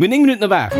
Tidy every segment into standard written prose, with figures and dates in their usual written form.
Mir hunn 9 Minutten op 8.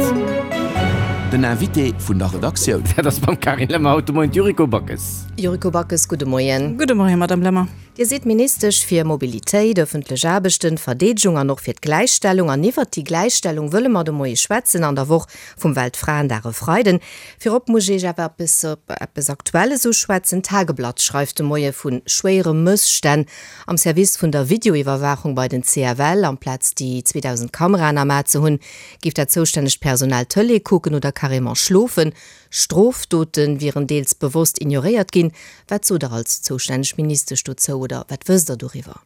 Den Invité vun der Redaktioun. Dat ass mam Carine Lemmer haut de Moien d'Yuriko Backes. Yuriko Backes, gudde Moien. Gudde Moien, Madame Lemmer. Dir sidd Ministesch fir Mobilitéit, ëffentlech Aarbechten, Verdeedegung an och fir d'Gläichstellung. An iwwert déi Gläichstellung wëlle mer de Moie schwätzen an der Woch vum Weltfraendag e Freiden. Virop muss ech Iech awer eppes op eppes Aktuelles uschwätzen. D'Tageblatt schreift de Moie vu schwéiere Mësstänn am Service vun der Videoiwwerwaachung bei den CFL. Amplaz déi 2.000 Kameraen am A ze hunn, géif dat zoustännegt Personal Tëlee kucken oder carrément schlofen. Strofdote wieren deels bewosst ignoréiert ginn. Wat sot Der als zoustänneg Ministesch dozou oder wat wësst Der doriwwer?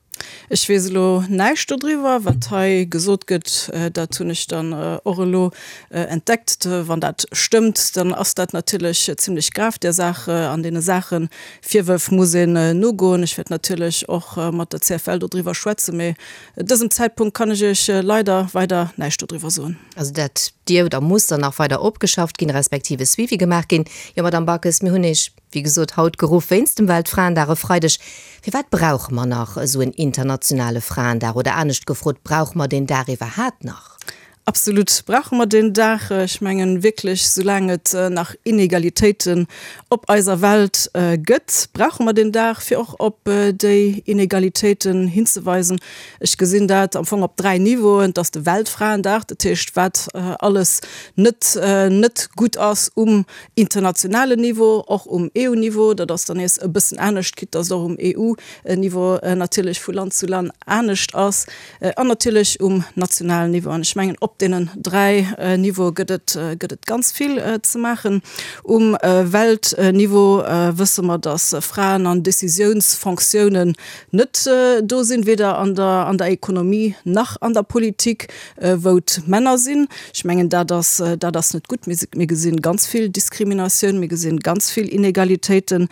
Ech weess elo näischt dodriwwer. Wat hei gesot gëtt, dat hunn ech dann och elo entdeckt. Wann dat stëmmt, dann ass dat natierlech zimlech grav. Där Saach an deene Saache Virwërf muss een nogoen. Ech wäert natierlech och mat der CFL dodriwwer schwätzen, mee dësem Zäitpunkt kann ech Iech leider weider näischt dodriwwer soen. Also dat dierf oder muss dann nach weider opgeschafft ginn, respektiv e Suivi gemaach ginn. Jo, Madamm Backes, mir hunn Iech, wéi gesot, haut geruff wéinst dem Weltfraendag e Freideg. Firwat brauche mer nach esou en internationale Fraendag? Oder anescht gefrot, brauche mer deen Dag iwwerhaat nach? Absolut brauche mer deen Dag. Ech mengen wierklech, soulaang et nach Inegalitéiten op eiser Welt gëtt, brauche mer deen Dag, fir och op déi Inegalitéiten hinzeweisen. Ech gesinn dat am Fong op 3 Niveauen. Et ass de Weltfraendag, dat heescht wat alles net net gutt ass um internationalen Niveau, och um EU-Niveau. Dat ass dann nees e bëssen anescht, quitte dass et och um EU-Niveau natierlech vu Land zu Land anescht ass. An natierlech um nationalen Niveau. An ech mengen, op deenen 3 Niveaue gëtt et gëtt et ganz vill ze maachen. Um Weltniveau wësse mer, dass Fraen an Décisiounsfonctiounen net do sinn, weder an der an der Ekonomie nach an der Politik, wou d'Männer sinn. Ech mengen, dat ass dat ass net gutt. Mir mir gesinn ganz vill Diskriminatioun, mir gesinn ganz vill Inegalitéiten,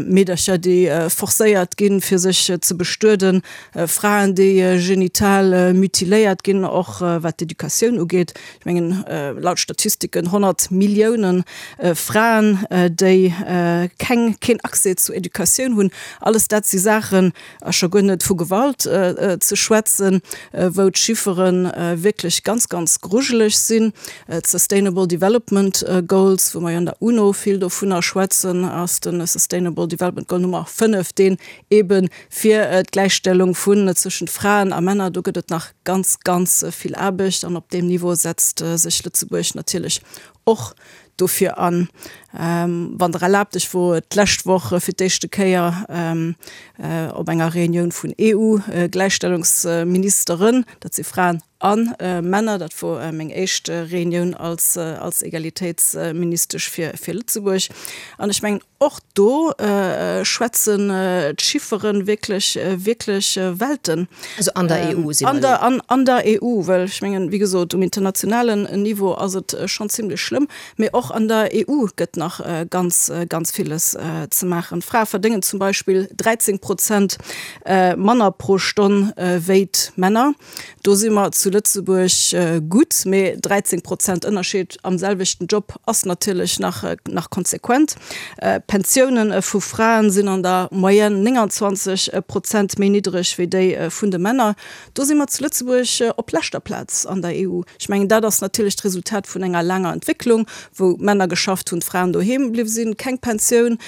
Meedercher, déi forcéiert ginn, fir sech ze bestueden, Fraen, déi genital mutiléiert ginn, och wat d'Educatioun ugeet. Ech mengen, laut Statistiken 100 Millioune Fraen, déi keng, keen Accès zu Educatioun hunn. Alles dat si Saachen, a scho guer net vu Gewalt ze schwätzen, wou d'Chiffere wierklech ganz, ganz grujeleg sinn. D'Sustainable Development Goals, wou mer jo an der UNO vill dovunner schwätzen, ass de Sustainable Development Goal Nummer 5, deen eebe fir d'Gläichstellung vun zwëschent Fraen a Männer, do gëtt et nach ganz, ganz vill Aarbecht an op deem Niveau setzt sech Lëtzebuerg natierlech och dofir an. Wann Der erlaabt, ech wor d'lescht Woch fir d'éischte Kéier op enger Reunioun vun EU-Gläichstellungsministeren, dat si Fraen a Männer, dat wor meng éischt Reunioun als Egalitéitsministesch fir Lëtzebuerg an ech mengen, Och do schwätzen d'Chiffere wierklech, wierklech Welten. Also an der EU si mer elo. An der EU, well ech mengen, wéi gesot, um internationalen Niveau ass et schonn zimlech schlëmm, mee och an der EU gëtt nach ganz, ganz villes ze maachen. D'Frae verdéngen zum Beispill 13 Prozent manner pro Stonn wéi d'Männer. Do si mer zu Lëtzebuerg gutt, mee 13 Prozent Ënnerscheed am selwechten Job ass natierlech nach nach konsequent. D'Pensiounen vu Fraen sinn an der Moyenne 29 Prozent méi niddreg wéi déi vun de Männer. Do si mer zu Lëtzebuerg op leschter Plaz an der EU. Ech mengen, dat ass natierlech d'Resultat vun enger laanger Entwécklung, wou d'Männer geschafft hunn, d'Fraen doheem bliww sinn, keng Pensioun,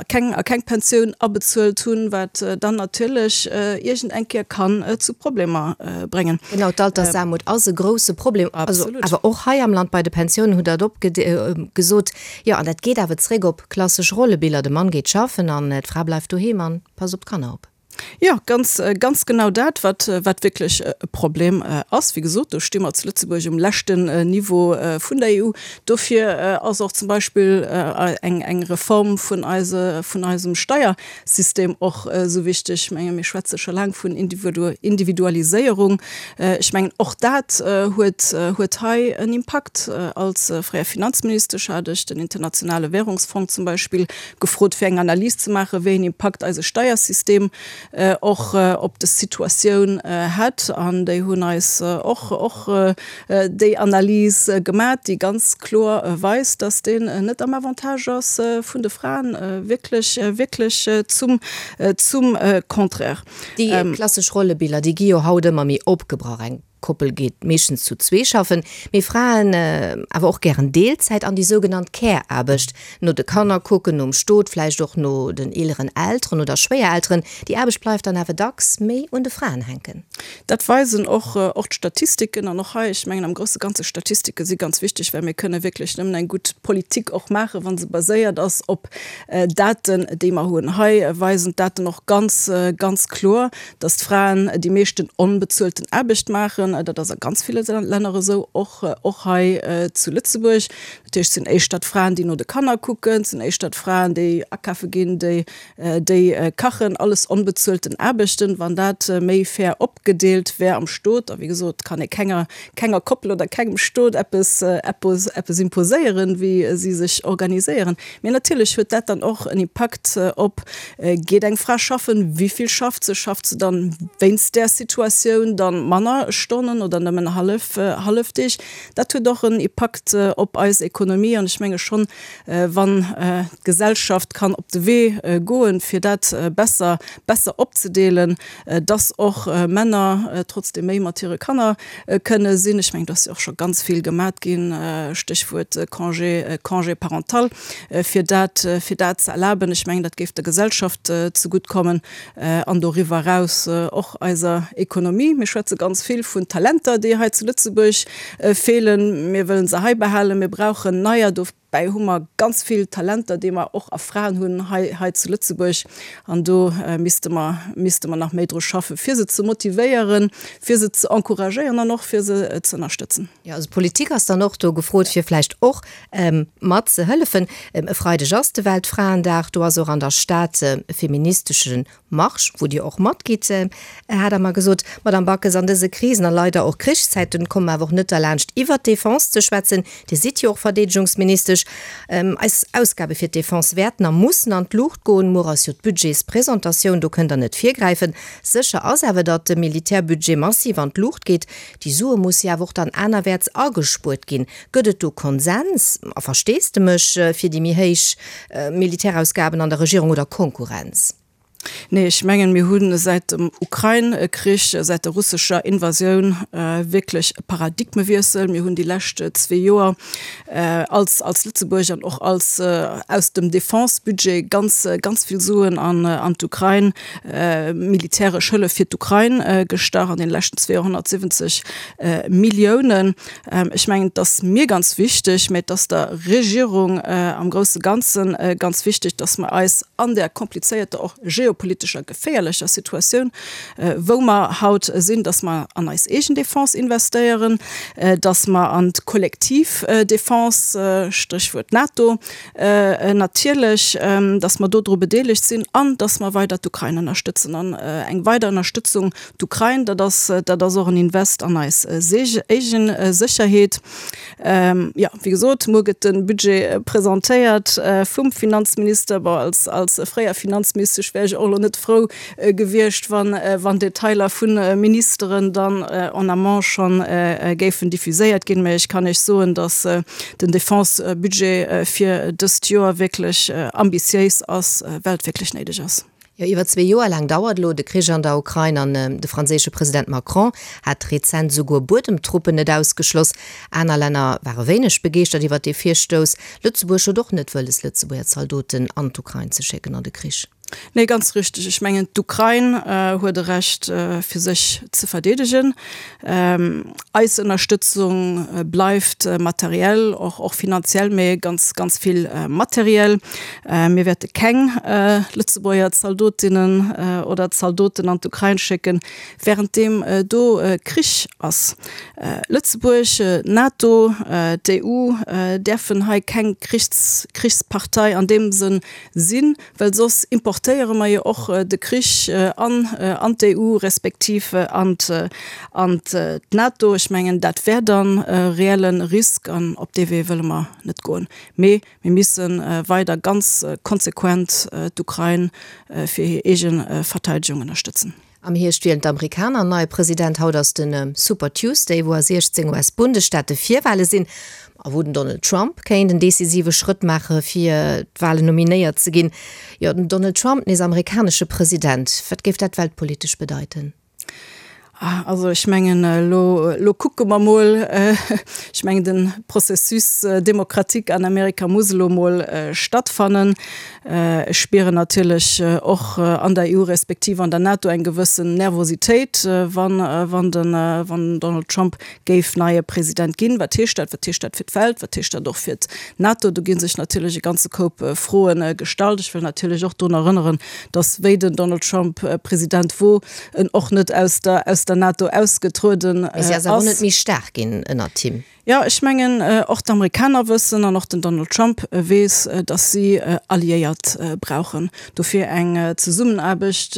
keng a keng Pensioun abezuelt hunn, wat dann natierlech iergend eng Kéier kann zu Problemer bréngen. Genau, d'Altersaarmut ass e grouse Problem, also awer och hei am Land bei de Pensiounen, hutt Der et opgesot. Jo, an dat geet awer zréck op klassesch Rollebiller, de Mann geet schaffen an d'Fra bleift doheem an passt op d'Kanner op. Jo, ganz, ganz genau dat, wat, wat wierklech e Problem ass. Wéi gesot, do sti mer zu Lëtzebuerg um leschten Niveau vun der EU. Dofir ass och zum Beispill eng, eng Reform vun eise, vun eisem Steiersystem och esou wichteg. Ech menge mir schwätze scho laang vun Individualiséierung. Ech mengen, och dat huet, huet hei en Impakt. Als fréier Finanzministesch hat ech den Internationale Währungsfong zum Beispill gefrot fir eng Analys ze maachen, wéi een Impakt eise Steiersystem och op des Situatioun hätt. An déi hunn eis och och déi Analys gemat, déi ganz kloer weist, dass deen net am Avantage ass vun de Fraen, wierklech, wierklech zum zum Contraire. Déi klassesch Rollebiller, déi gi jo haut ëmmer méi opgebrach. Eng. Koppel geet meeschtens zu zwee schaffen, mee Fraen awer och gären Deelzäit an déi sougenannt Care-Aarbecht, no de Kanner kucken, nom Stot, vläicht och no den eeleren Elteren oder Schwéierelteren. Déi Aarbecht bleift dann awer dacks méi un de Fraen hänken. Dat weisen och och d'Statistiken. An och hei, ech mengen am grousse Ganze, Statistike si ganz wichteg, well mir kënne wierklech nëmmen eng gutt Politik och maachen, wa se baséiert ass op Daten, déi mer hunn. Hei weisen d'Daten och ganz, ganz kloer, dass d'Fraen déi meeschten onbezuelten Aarbecht maachen. Dat ass a ganz ville Länner esou, och och hei zu Lëtzebuerg. Dat heescht, et sinn éischter d'Fraen, déi no de Kanner kucken, et sinn éischter d'Fraen, déi akafe ginn, déi déi kachen, alles onbezuelten Aarbechten. Wann dat méi fair opgedeelt wär am Stot, a wéi gesot, kann ee kenger kenger Koppel oder kengem Stot eppes eppes eppes imposéieren, wéi si sech organiséieren. Mee natierlech huet dat dann och en Impakt op, Geet eng Fra schaffen, wéi vill schafft se, schafft se dann wéinst där Situatioun dann manner Stonnen oder nëmmen hallef hallef Deeg? Dat huet och en Impakt op eis Ekonomie an ech menge schonn, wann d'Gesellschaft kann op de Wee goen, fir dat besser besser opzedeelen, dass och Männer trotzdem méi mat hire Kanner kënne sinn. Ech mengen, do ass jo och scho ganz vill gemat ginn, Stéchwuert Congé, Congé parental, fir dat, fir dat ze erlaben. Ech mengen, dat géif der Gesellschaft zegutt kommen an doriwwer eraus och eiser Ekonomie. Mir schwätze ganz vill vun Talenter, déi hei zu Lëtzebuerg feelen. Mir wëllen se hei behalen. Mir brauchen neier. Dobäi hu mer ganz vill Talenter, déi mer och a Fraen hunn hei, hei zu Lëtzebuerg. An do misste mer, misste mer nach méi dru schaffen, fir se ze motivéieren, fir se ze encouragéieren an och fir se ze ënnerstëtzen. Jo, also d'Politik ass dann och do gefrot, fir vläicht och mat ze hëllefen. E Freideg ass de Weltfraendag, do ass och an der Stad e feministesche Marsch, wou Dir och matgitt, hat Der mer gesot, Madamm Backes. An dëse Krisen a leider och Krichszäiten komme mer awer och net derlaanscht, iwwert d'Defense ze schwätzen. Dir sidd jo och Verdeedegungsministesch. Eis Ausgabe fir d'Defense wäerten a mussen an d'Luucht goen. Muer ass jo d'Budgetspresentatioun, do kënnt Der net virgräifen. Sécher ass awer, datt de Militärbudget massiv an d'Luucht geet. Déi Sue musse jo awer och dann anerwäerts agespuert ginn. Gëtt et do Konsens a Versteesdemech fir déi méi héich Militärausgaben an der Regierung oder Konkurrenz? Nee, ech mengen, mir hu säit dem Ukrain-Krich, säit der russescher Invasioun wierklech e Paradigmewiessel. Mir hunn déi lescht zwee Joer als, als Lëtzebuerg an och als aus dem Defense-Budget ganz, ganz vill Suen an, an d'Ukrain, militäresch Hëllef fir d'Ukrain gestach, an deene leschten zwee Joer 170 Milliounen. Ech mengen, et ass mir ganz wichteg, mä et ass der Regierung am grousse Ganze ganz wichteg, dass mer eis an där komplizéierter, och geopolitescher geféierlecher Situatioun, wou mer haut sinn, dass mer an eis eegen Defense investéieren, dass mer an d'kollektiv Defense, Stréchwuert NATO natierlech, dass mer dodru bedeelegt sinn an dass mer weider d'Ukrain ënnerstëtzen. An eng weider Ënnerstëtzung D'Ukrain, dat ass, dat ass och en Invest an eis eegen Sécherheet. Jo, wéi gesot, muer gëtt de Budget presentéiert vum Finanzminister. Bon, als, als fréier Finanzministesch wär ech och elo net frou gewiescht, wann, wann Detailer vu Ministeren dann en amont schonn géifen diffuséiert ginn. Mä ech kann Iech soen, datt den Defense-Budget fir dëst Joer wierklech ambitiéis ass, well et wierklech néideg ass. Jo, iwwer zwee Joer laang dauert elo de Krich an der Ukrain an de franséische President Macron hat rezent esouguer Buedemtruppen net ausgeschloss. Aner Länner ware wéineg begeeschtert iwwer dee Virstouss. Lëtzebuerg huet och net wëlles, Lëtzebuerger Zaldoten an d'Ukrain ze schécken an de Krich. Nee, ganz richteg. Ech mengen, d'Ukrain huet e Recht, fir sech ze verdeedegen. Eis Ënnerstëtzung bleift materiell, och och finanziell, mee ganz, ganz vill materiell. Mir wäerte keng Lëtzebuerger Zaldotinnen oder Zaldoten an d'Ukrain schécken, wärenddeem do Krich ass. Lëtzebuerg, d'NATO, d'EU däerfen hei keng Krichs, Krichspartei an deem Sënn sinn, well soss importéiere mer jo och de Krich an an d'EU respektiv an an d'NATO. Ech mengen, dat wär dann e reelle Risk an op dee Wee wëlle mer net goen. Mee mir misse weider ganz konsequent d'Ukrain fir hir eege Verteidegung ënnerstëtzen. Am Hierscht wielen d'Amerikaner en neie President. Haut ass de Super Tuesday, wou a 16 US-Bundesstaate Virwale sinn a wou den Donald Trump kéint en decisive Schrëtt maache fir d'Walen nominéiert ze ginn. Jo, den Donald Trump nees amerikanesche President, wat géif dat weltpolitesch bedeiten? Also ech mengen, elo, elo kucke mer mol. Ech mengen, de Processus démocratique an Amerika muss elo mol stattfannen. Ech spieren natierlech och an der EU respektiv an der NATO eng gewëssen Nervositéit, wann, wann den, wann den Donald Trump géif neie President ginn. Wat heescht dat? Wat heescht dat fir d'Welt? Wat heescht dat och fir d'NATO? Do gi sech natierlech e ganze Koup Froe gestallt. Ech wëll natierlech och drun erënneren, datt wéi den Donald Trump President wor, en och net aus der aus der NATO ausgetrueden ass. Mee si ass awer net méi staark ginn ënnert him. Jo, ech mengen, och d'Amerikaner wëssen an och den Donald Trump weess, datt si Alliéiert brauchen. Dofir eng Zesummenaarbecht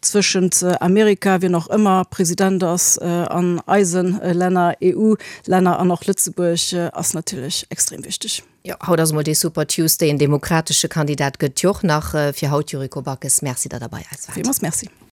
zwëschent Amerika, wien och ëmmer President ass, an eise Länner, EU-Länner an och Lëtzebuerg, ass natierlech extrem wichteg. Jo, haut ass emol dee Super Tuesday. En demokratesche Kandidat gëtt jo och nach. Fir haut, Yuriko Backes, Merci, datt Der bei eis waart. Villmools Merci.